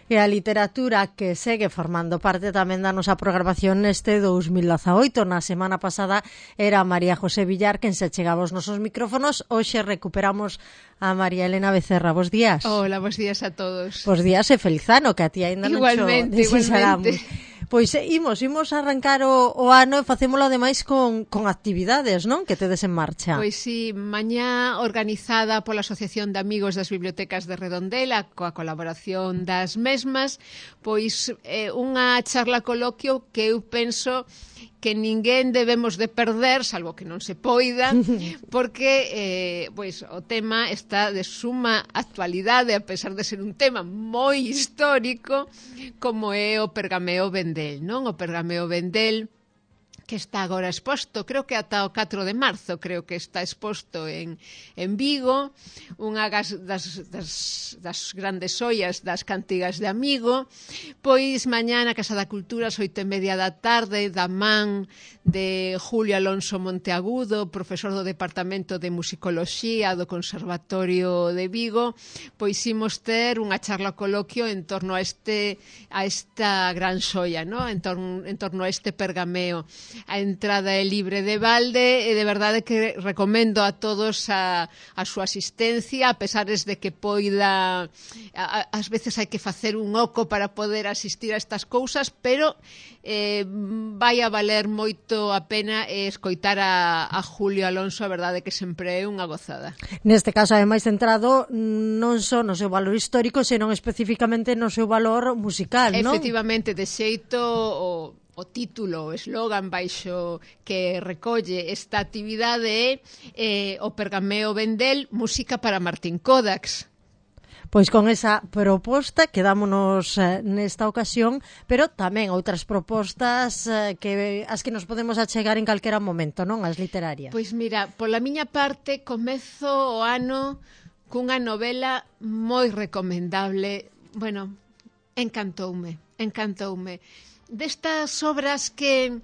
E a literatura que segue formando parte tamén da nosa programación neste 2018. Na semana pasada era María José Villar quen se chegaba aos nosos micrófonos. Hoxe recuperamos a María Elena Becerra. Bos días. Hola, bos días a todos. Bos días e feliz ano, que a ti ainda non igualmente. Pois imos arrancar o ano e facémolo ademais con actividades, non? Que tedes en marcha. Pois sí, mañá organizada pola Asociación de Amigos das Bibliotecas de Redondela, coa colaboración das mesmas, pois unha charla coloquio que eu penso que ninguén debemos de perder, salvo que non se poida, porque pois o tema está de suma actualidade, a pesar de ser un tema moi histórico, como é o Pergameo Vendel, non? O Pergameo Vendel, que está agora exposto, creo que ata o 4 de marzo, creo que está exposto en Vigo, unha das grandes ollas das cantigas de Amigo. Pois mañá na Casa da Cultura, ás 8:30 da tarde, da man de Julio Alonso Monteagudo, profesor do Departamento de Musicoloxía do Conservatorio de Vigo, pois imos ter unha charla coloquio en torno a esta gran xoia, ¿no? en torno a este pergameo. A entrada é libre de balde e de verdade que recomendo a todos a súa asistencia, a pesares de que poida ás veces hai que facer un oco para poder asistir a estas cousas, pero vai a valer moito a pena escoitar a Julio Alonso, a verdade que sempre é unha gozada. Neste caso, ademais, centrado non só no seu valor histórico, senón especificamente no seu valor musical, non? Efectivamente, de xeito o título, o eslogan baixo que recolle esta actividade é o Pergameo Vendel, música para Martín Kodax. Pois con esa proposta quedámonos nesta ocasión, pero tamén outras propostas as que nos podemos achegar en calquera momento, non? As literarias. Pois mira, pola miña parte comezo o ano cunha novela moi recomendable. Bueno, encantoume. Destas obras que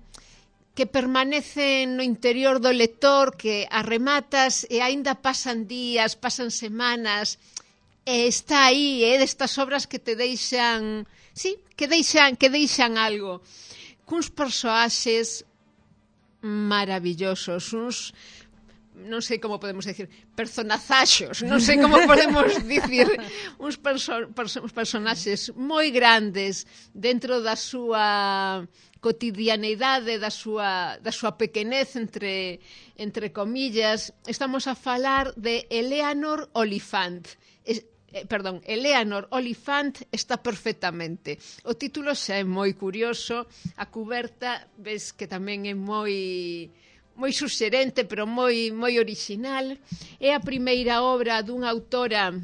permanecen no interior do lector, que as rematas e aínda pasan días, pasan semanas, e está aí, destas obras que te deixan, sí, que deixan algo, cuns persoaxes maravillosos, uns, non sei como podemos dicir, personazaxos, non sei como podemos dicir, uns personaxes moi grandes dentro da súa cotidianeidade, da súa pequenez, entre comillas. Estamos a falar de Eleanor Oliphant. Eleanor Oliphant está perfectamente. O título xa é moi curioso, a cuberta ves que tamén é moi suxerente, pero moi orixinal. É a primeira obra dunha autora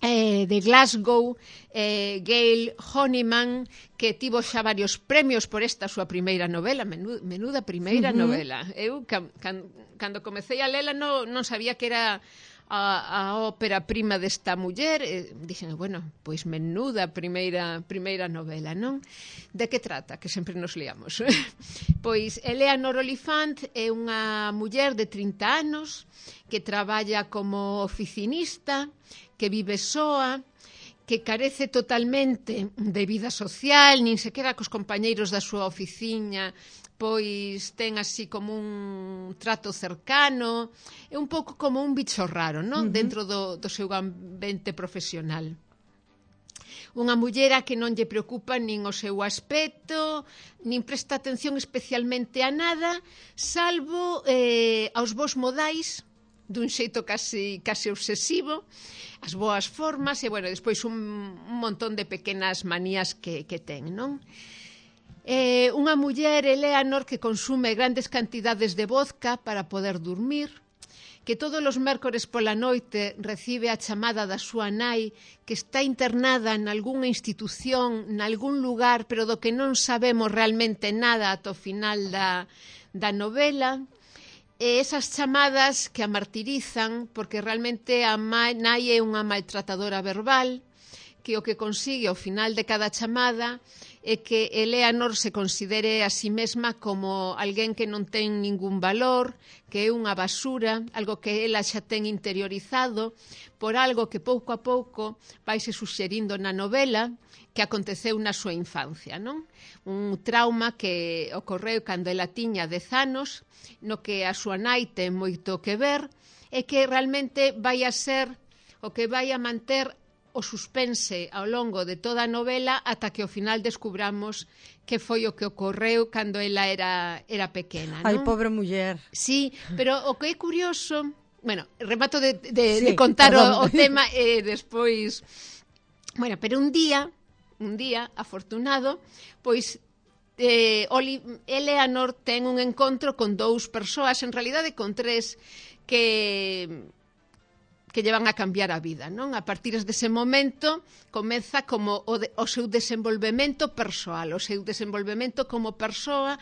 de Glasgow, Gail Honeyman, que tivo xa varios premios por esta súa primeira novela, menuda primeira novela. Eu, cando comecei a lela, non sabía que era a ópera prima desta muller, dixen, bueno, pois menuda primeira novela, non? De que trata? Que sempre nos liamos. Pois Eleanor Oliphant é unha muller de 30 anos que traballa como oficinista, que vive soa, que carece totalmente de vida social, nin sequera cos compañeiros da súa oficina pois ten así como un trato cercano, é un pouco como un bicho raro, non? Dentro do seu ambiente profesional. Unha mullera que non lle preocupa nin o seu aspecto, nin presta atención especialmente a nada, salvo aos bons modais, dun xeito casi obsesivo, as boas formas e, bueno, despois un montón de pequenas manías que ten, non? Unha muller, Eleanor, que consume grandes cantidades de vodka para poder dormir, que todos os mércores pola noite recibe a chamada da súa nai, que está internada en algunha institución, en algún lugar, pero do que non sabemos realmente nada ata o final da novela. E esas chamadas que a martirizan, porque realmente a nai é unha maltratadora verbal, que o que consigue ao final de cada chamada é que Eleanor se considere a si mesma como alguén que non ten ningún valor, que é unha basura, algo que ela xa ten interiorizado, por algo que pouco a pouco vaise suxerindo na novela que aconteceu na súa infancia, non? Un trauma que ocorreu cando ela tiña 10 anos, no que a súa nai ten moito que ver, e que realmente vai a ser o que vai a manter o suspense ao longo de toda a novela ata que ao final descubramos que foi o que ocorreu cando ela era pequena, non? Ai, pobre muller. Sí, pero o que é curioso... Bueno, remato de Sí, contar o perdón. tema e despois... Bueno, pero un día afortunado, pois Eleanor ten un encontro con 2 persoas, en realidade con 3, que llevan a cambiar a vida, non? A partir dese momento comeza como o seu desenvolvemento persoal, o seu desenvolvemento como persoa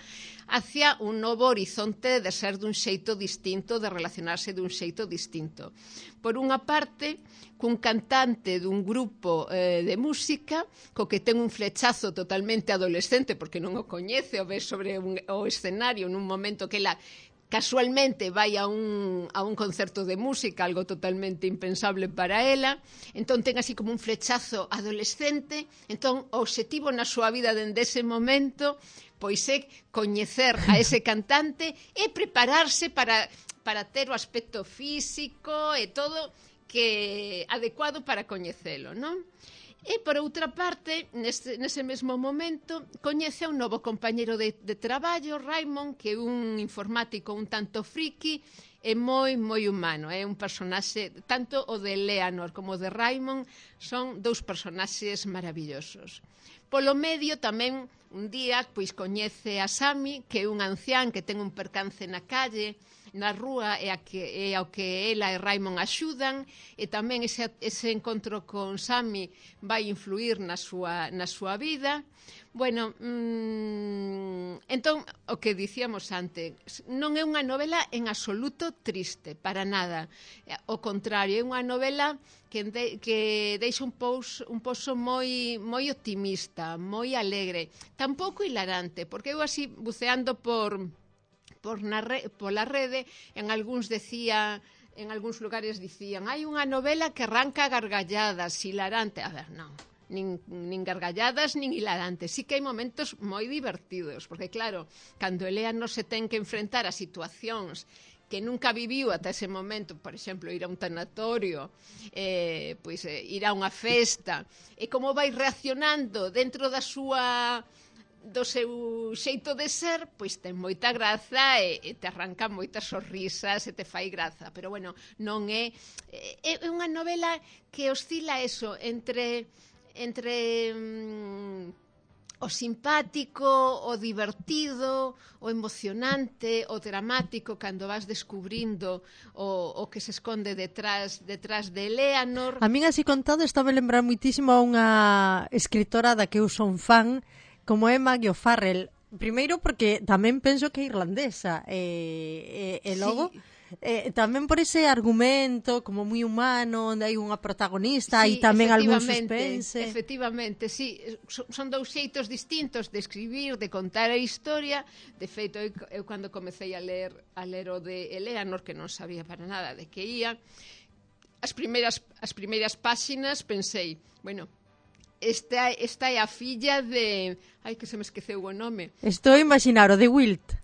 hacia un novo horizonte de ser dun xeito distinto, de relacionarse dun xeito distinto. Por unha parte, cun cantante dun grupo de música co que ten un flechazo totalmente adolescente porque non o coñece, o ve sobre o escenario nun momento que ela casualmente vai a un concerto de música, algo totalmente impensable para ela, entón ten así como un flechazo adolescente, entón o obxectivo na súa vida dende ese momento pois é coñecer a ese cantante e prepararse para ter o aspecto físico e todo que adecuado para coñecelo, non? E, por outra parte, nese mesmo momento, coñece a un novo compañeiro de traballo, Raymond, que é un informático un tanto friki e moi humano. É un personaxe, tanto o de Eleanor como o de Raymond, son 2 personaxes maravillosos. Polo medio, tamén, un día, pois coñece a Sammy, que é un ancián que ten un percance na calle, na rúa, e ao que ela e Raymond axudan, e tamén ese encontro con Sammy vai influir na súa vida. Bueno, entón, o que dicíamos antes, non é unha novela en absoluto triste, para nada. O contrario, é unha novela que deixa un pouso moi optimista, moi alegre, tampouco hilarante, porque eu así buceando pola rede, en algúns lugares dicían, hai unha novela que arranca gargalladas, hilarante. A ver, non, nin gargalladas nin hilarantes. Sí que hai momentos moi divertidos, porque claro, cando Eleanor se ten que enfrentar a situacións que nunca viviu ata ese momento, por exemplo, ir a un tanatorio, ir a unha festa, e como vai reaccionando dentro do seu xeito de ser, pois ten moita graza e te arranca moitas sorrisas e te fai graza, pero bueno, non é unha novela que oscila eso entre o simpático, o divertido, o emocionante, o dramático, cando vas descubrindo o que se esconde detrás de Eleanor. A min así contado estaba a lembrar muitísimo a unha escritora da que eu son fan, como é Maggie O'Farrell. Primeiro porque tamén penso que é irlandesa e logo tamén por ese argumento como moi humano, onde hai unha protagonista e tamén algún suspense. Efectivamente, sí, son 2 xeitos distintos de escribir, de contar a historia. De feito, eu cando comecei a ler o de Eleanor, que non sabía para nada de que ia, as primeiras páxinas pensei, bueno, esta é a filla de... Ai, que se me esqueceu o nome. Estou a imaginar o de Wilt.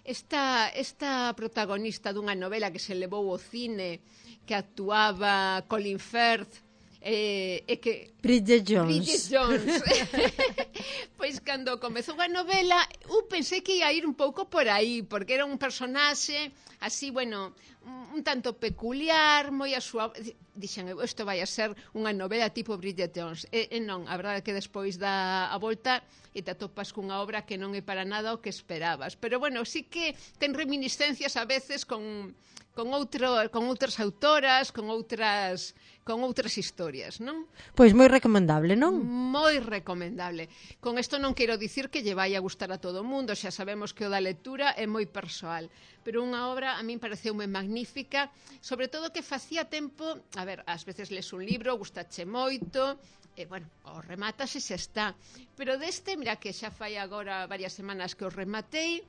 Esta protagonista dunha novela que se levou ao cine, que actuaba Colin Firth, que Bridget Jones. Pois cando comezou a novela eu pensei que ia ir un pouco por aí, porque era un personaxe así, bueno, un tanto peculiar, moi a súa... Dixen, isto vai a ser unha novela tipo Bridget Jones. E non, a verdade é que despois dá a volta e te atopas cunha obra que non é para nada o que esperabas. Pero bueno, sí que ten reminiscencias a veces con outras autoras, con outras historias, non? Pois moi recomendable, non? Moi recomendable. Con isto non quero dicir que lle vai a gustar a todo o mundo, xa sabemos que o da lectura é moi persoal, pero unha obra a min pareceume magnífica magnífica, sobre todo que facía tempo, a ver, ás veces les un libro, gustache moito, bueno, o rematas e xa está. Pero deste, mira que xa fai agora varias semanas que o rematei,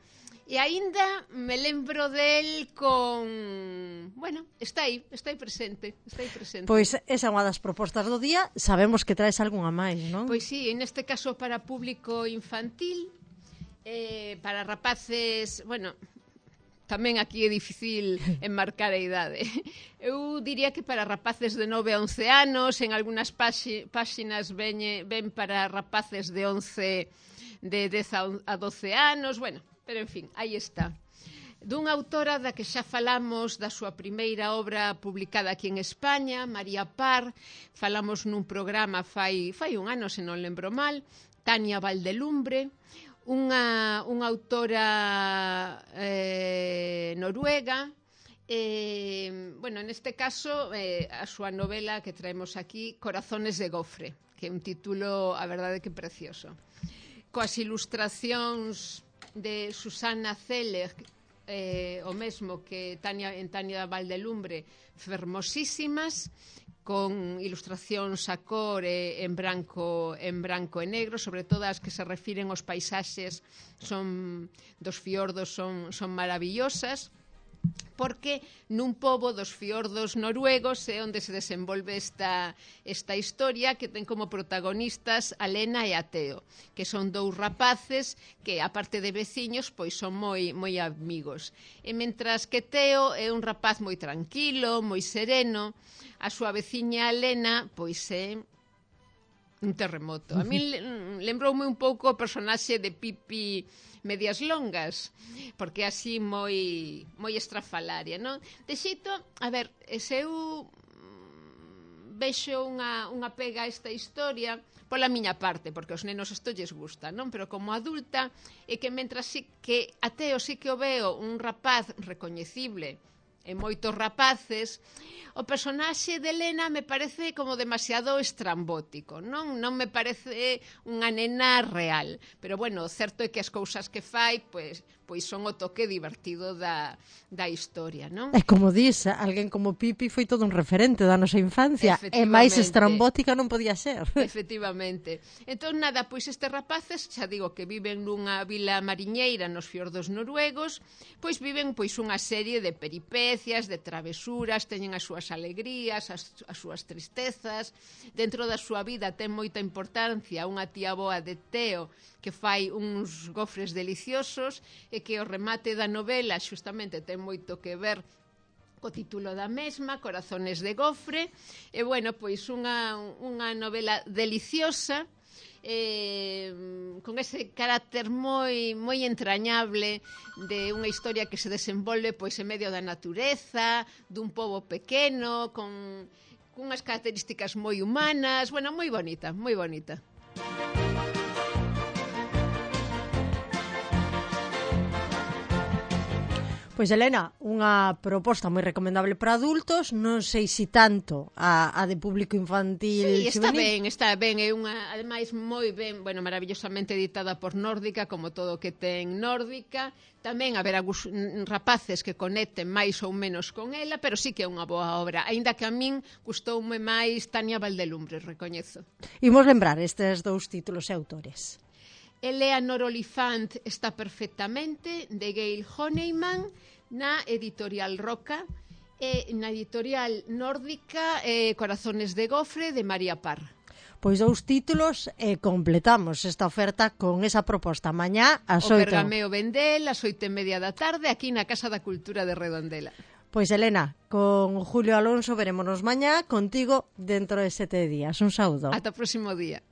e aínda me lembro del con... Bueno, está aí presente, Pois esa é unha das propostas do día, sabemos que traes algunha máis, non? Pois sí, neste caso para público infantil, para rapaces, bueno, tamén aquí é difícil enmarcar a idade. Eu diría que para rapaces de 9 a 11 anos, en algunhas páxinas ven para rapaces de 10 a 12 anos, bueno, pero en fin, aí está. Dunha autora da que xa falamos da súa primeira obra publicada aquí en España, María Parr, falamos nun programa fai un ano, se non lembro mal, Tania Valdelumbre, unha autora noruega. Bueno, neste caso, a súa novela que traemos aquí, Corazones de Gofre, que é un título, a verdade, que precioso. Coas ilustracións de Susana Zeller, o mesmo que en Tania Valdelumbre, fermosísimas, con ilustracións a cor en branco e negro, sobre todo as que se refiren aos paisaxes dos fiordos son maravillosas, porque nun pobo dos fiordos noruegos é onde se desenvolve esta historia, que ten como protagonistas a Lena e a Teo, que son dous rapaces que, aparte de veciños, pois son moi amigos. E mentras que Teo é un rapaz moi tranquilo, moi sereno, a súa veciña Lena pois é un terremoto. A mí lembroume un pouco o personaxe de Pipi Medias Longas, porque é así moi estrafalaria, non? De xeito, a ver, se eu vexo unha pega a esta historia pola miña parte, porque aos nenos isto lles gusta, non? Pero como adulta, é que mentras que a Teo sí que o veo un rapaz recoñecible e moitos rapaces, o personaxe de Elena me parece como demasiado estrambótico, non me parece unha nena real, pero bueno, o certo é que as cousas que fai pois son o toque divertido da historia, non? E como dis, alguén como Pipi foi todo un referente da nosa infancia, e máis estrambótica non podía ser. Efectivamente. Entón, nada, pois estes rapaces, xa digo que viven nunha vila mariñeira nos fiordos noruegos, pois viven pois unha serie de peripecias, de travesuras, teñen as súas alegrías, as súas tristezas. Dentro da súa vida ten moita importancia unha tía boa de Teo que fai uns gofres deliciosos e que o remate da novela xustamente ten moito que ver co título da mesma, Corazones de Gofre. E bueno, pois unha novela deliciosa, con ese carácter moi entrañable de unha historia que se desenvolve pois en medio da natureza, dun pobo pequeno, con unhas características moi humanas, bueno, moi bonita, moi bonita. Pois, Elena, unha proposta moi recomendable para adultos, non sei se tanto a de público infantil. Sí, está ben, é unha, ademais, moi ben, bueno, maravillosamente editada por Nórdica, como todo o que ten Nórdica. Tamén haberá rapaces que conecten máis ou menos con ela, pero sí que é unha boa obra, aínda que a min gustoume máis Tania Valdelumbre, recoñezo. Imos lembrar estes dous títulos e autores. Eleanor Oliphant está perfectamente, de Gail Honeyman, na editorial Roca, e na editorial Nórdica, Corazones de Gofre, de María Parr. Pois dous títulos e completamos esta oferta con esa proposta. Mañá ás 8. O Bergameo Vendel, ás 8:30 da tarde, aquí na Casa da Cultura de Redondela. Pois, Elena, con Julio Alonso verémonos mañá, contigo dentro de 7 días. Un saúdo. Ata o próximo día.